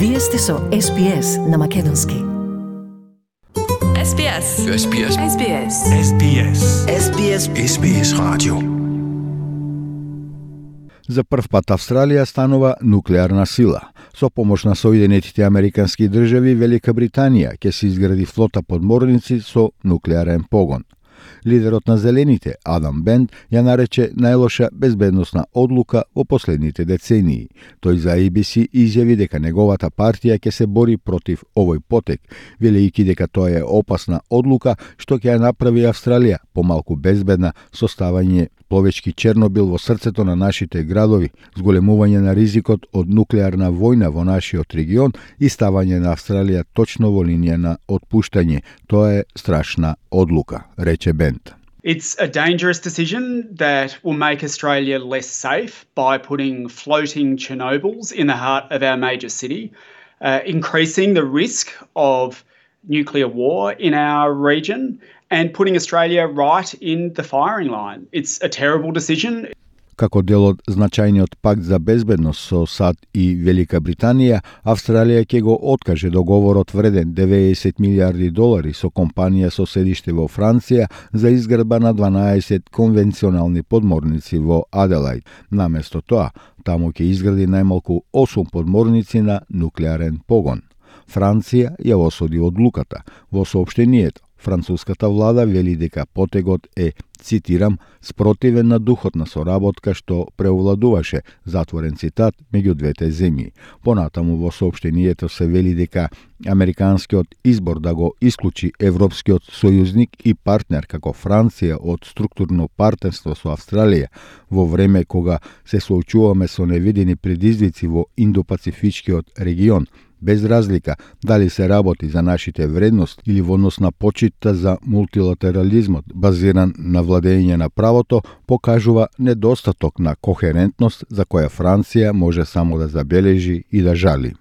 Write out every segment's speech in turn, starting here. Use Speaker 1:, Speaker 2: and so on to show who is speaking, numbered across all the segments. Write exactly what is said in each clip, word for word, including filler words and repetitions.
Speaker 1: Вие сте со Ес Би Ес на македонски.
Speaker 2: Ес Би Ес.
Speaker 3: Ес Би Ес.
Speaker 2: Ес Би Ес.
Speaker 3: Ес Би Ес.
Speaker 4: Ес Би Ес.
Speaker 3: Ес Би Ес радио.
Speaker 5: За прв пат Австралија станува нуклеарна сила. Со помош на Соединетите Американски држави, Велика Британија ќе се изгради флота подморници со нуклеарен погон. Лидерот на Зелените, Адам Бент, ја нарече најлоша безбедносна одлука во последните децении. Тој за Ей Би Си изјави дека неговата партија ќе се бори против овој потек, велејќи дека тоа е опасна одлука што ќе ја направи Австралија помалку безбедна со ставање пловечки Чернобил во срцето на нашите градови, зголемување на ризикот од нуклеарна војна во нашиот регион и ставање на Австралија точно во линија на отпуштање. Тоа е страшна одлука, рече Бент.
Speaker 6: It's a dangerous decision that will make Australia less safe by putting floating Chernobyls in the heart of our major city, uh, increasing the risk of nuclear war in our region and putting Australia right in the firing line. It's a terrible decision.
Speaker 5: Како дел од значајниот пакт за безбедност со САД и Велика Британија, Австралија ќе го откаже договорот вреден деветдесет милиарди долари со компанија со седиште во Франција за изградба на дванаесет конвенционални подморници во Аделајд. Наместо тоа, таму ќе изгради најмалку осум подморници на нуклеарен погон. Франција ја осуди одлуката. Во соопштението, француската влада вели дека потегот е, цитирам, спротивен на духот на соработка што преовладуваше, затворен цитат, меѓу двете земји. Понатаму во соопштението се вели дека американскиот избор да го исклучи европскиот сојузник и партнер како Франција од структурно партнерство со Австралија во време кога се соочуваме со невидени предизвици во Индо-Пацифичкиот регион, без разлика дали се работи за нашите вредности или во однос на почитта за мултилатерализмот, базиран на владење на правото, покажува недостаток на кохерентност за која Франција може само да забележи и да жали.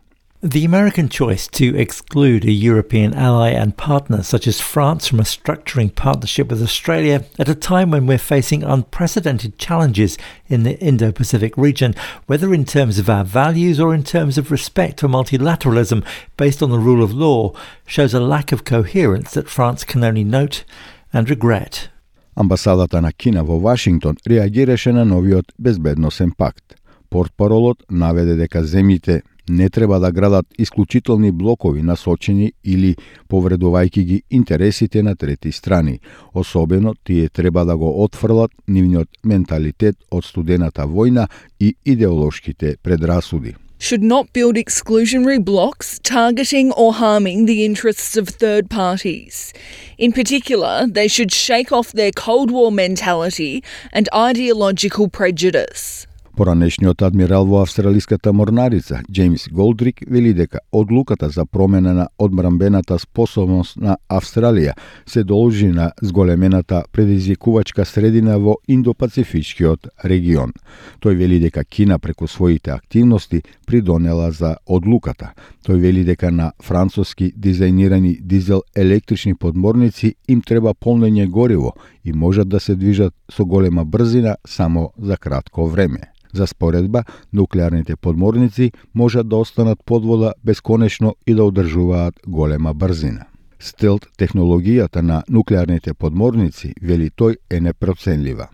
Speaker 7: The American choice to exclude a European ally and partner such as France from a structuring partnership with Australia at a time when we're facing unprecedented challenges in the Indo-Pacific region, whether in terms of our values or in terms of respect for multilateralism based on the rule of law, shows a lack of coherence that France can only note and regret.
Speaker 5: Амбасадата на Кина во Вашингтон реагираше на новиот безбедносен пакт. Портпаролот наведе дека земјите не треба да градат исклучителни блокови насочени или повредувајќи ги интересите на трети страни. Особено тие треба да го отфрлат нивниот менталитет од студената војна и идеолошките предрасуди.
Speaker 2: Should not build exclusionary blocks targeting or harming the interests of third parties. In particular, they should shake off their Cold War mentality and ideological prejudice.
Speaker 5: Поранешниот адмирал во австралиската морнарица, Джеймс Голдрик, вели дека одлуката за промена на одбранбената способност на Австралија се должи на зголемената предизвикувачка средина во Индо-Пацифичкиот регион. Тој вели дека Кина преку своите активности придонела за одлуката. Тој вели дека на француски дизајнирани дизел електрични подморници им треба полнење гориво и можат да се движат со голема брзина само за кратко време. За споредба, нуклеарните подморници можат да останат под вода бесконечно и да одржуваат голема брзина. Стелт технологијата на нуклеарните подморници, вели тој, е непроценлива.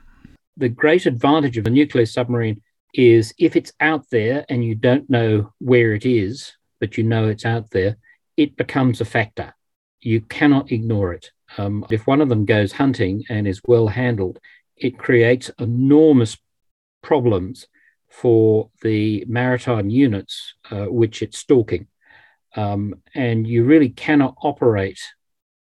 Speaker 8: The great advantage of a nuclear submarine is if it's out there and you don't know where it is, but you know it's out there, it becomes a factor. You cannot ignore it. Um, if one of them goes hunting and is well handled, it creates enormous problems for the maritime units uh, which it's stalking. Um, and you really cannot operate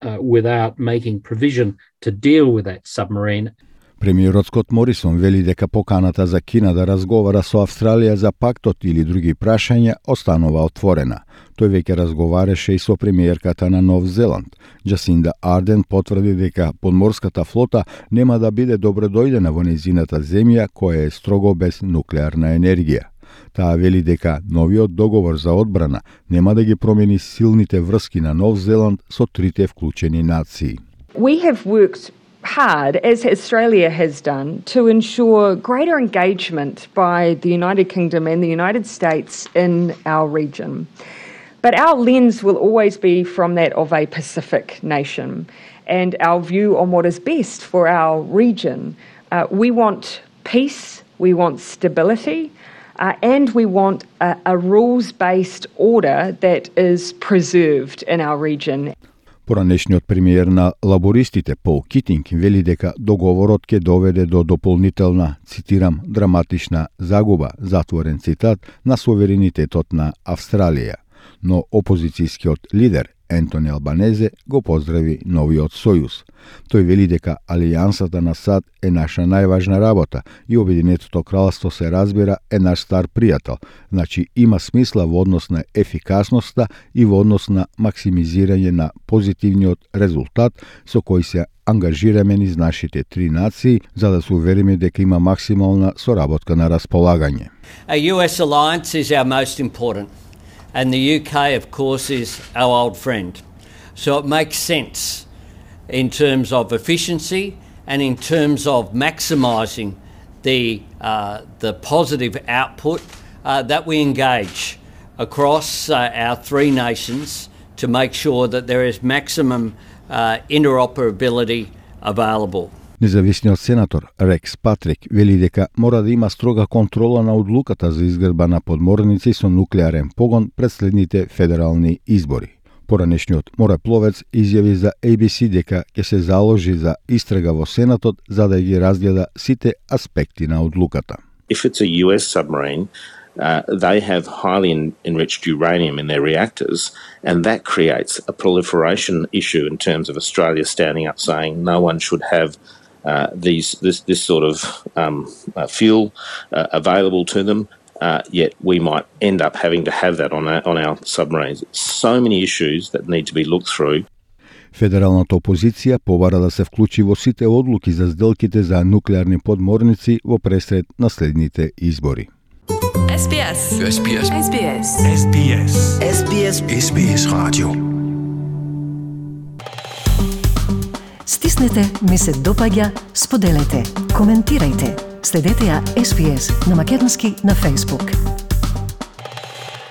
Speaker 8: uh, without making provision to deal with that submarine.
Speaker 5: Премиерот Скот Морисон вели дека поканата за Кина да разговара со Австралија за пактот или други прашања останува отворена. Тој веќе разговараше и со премиерката на Нов Зеланд. Джасинда Арден потврди дека подморската флота нема да биде добредојдена во незината земја која е строго без нуклеарна енергија. Таа вели дека новиот договор за одбрана нема да ги промени силните врски на Нов Зеланд со трите вклучени нации.
Speaker 9: We have worked hard, as Australia has done, to ensure greater engagement by the United Kingdom and the United States in our region. But our lens will always be from that of a Pacific nation and our view on what is best for our region. Uh, we want peace, we want stability, uh, and we want a, a rules-based order that is preserved in our region.
Speaker 5: Поранешниот премиер на лабористите Пол Китинг вели дека договорот ќе доведе до дополнителна, цитирам, драматична загуба, затворен цитат, на суверенитетот на Австралија. Но опозицијскиот лидер Ентони Албанезе го поздрави новиот сојуз. Тој вели дека алијансата на САД е наша најважна работа и Обединетото кралство се разбира е наш стар пријател. Значи има смисла во однос на ефикасноста и во однос на максимизирање на позитивниот резултат со кој се ангажираме низ нашите три нации за да се увериме дека има максимална соработка на располагање.
Speaker 4: A U S alliance is our most important. And the U K, of course, is our old friend. So it makes sense in terms of efficiency and in terms of maximising the, uh, the positive output uh, that we engage across uh, our three nations to make sure that there is maximum uh, interoperability available.
Speaker 5: Независниот сенатор Рекс Патрик вели дека мора да има строга контрола на одлуката за изградба на подморници со нуклеарен погон пред следните федерални избори. Поранешниот морепловец изјави за A B C дека ќе се заложи за истрага во Сенатот за да ги разгледа сите аспекти на одлуката.
Speaker 10: If it's a U S submarine, Uh, they have highly en- enriched uranium in their reactors, and that creates a proliferation issue in terms of Australia standing up saying no one should have uh, these this this sort of um, uh, fuel uh, available to them. Uh, yet we might end up having to have that on our, on our submarines. So many issues that need to be looked through.
Speaker 5: Федералната опозиција побара да се вклучи во сите одлуки за сделките за нуклеарни подморници во пресред на следните избори.
Speaker 1: S B S.
Speaker 3: S B S.
Speaker 1: S B S.
Speaker 3: S B S.
Speaker 1: S B S.
Speaker 3: S B S Radio.
Speaker 1: Стиснете, ми се допаѓа, споделете, коментирајте. Следете ја S B S на македонски на Facebook.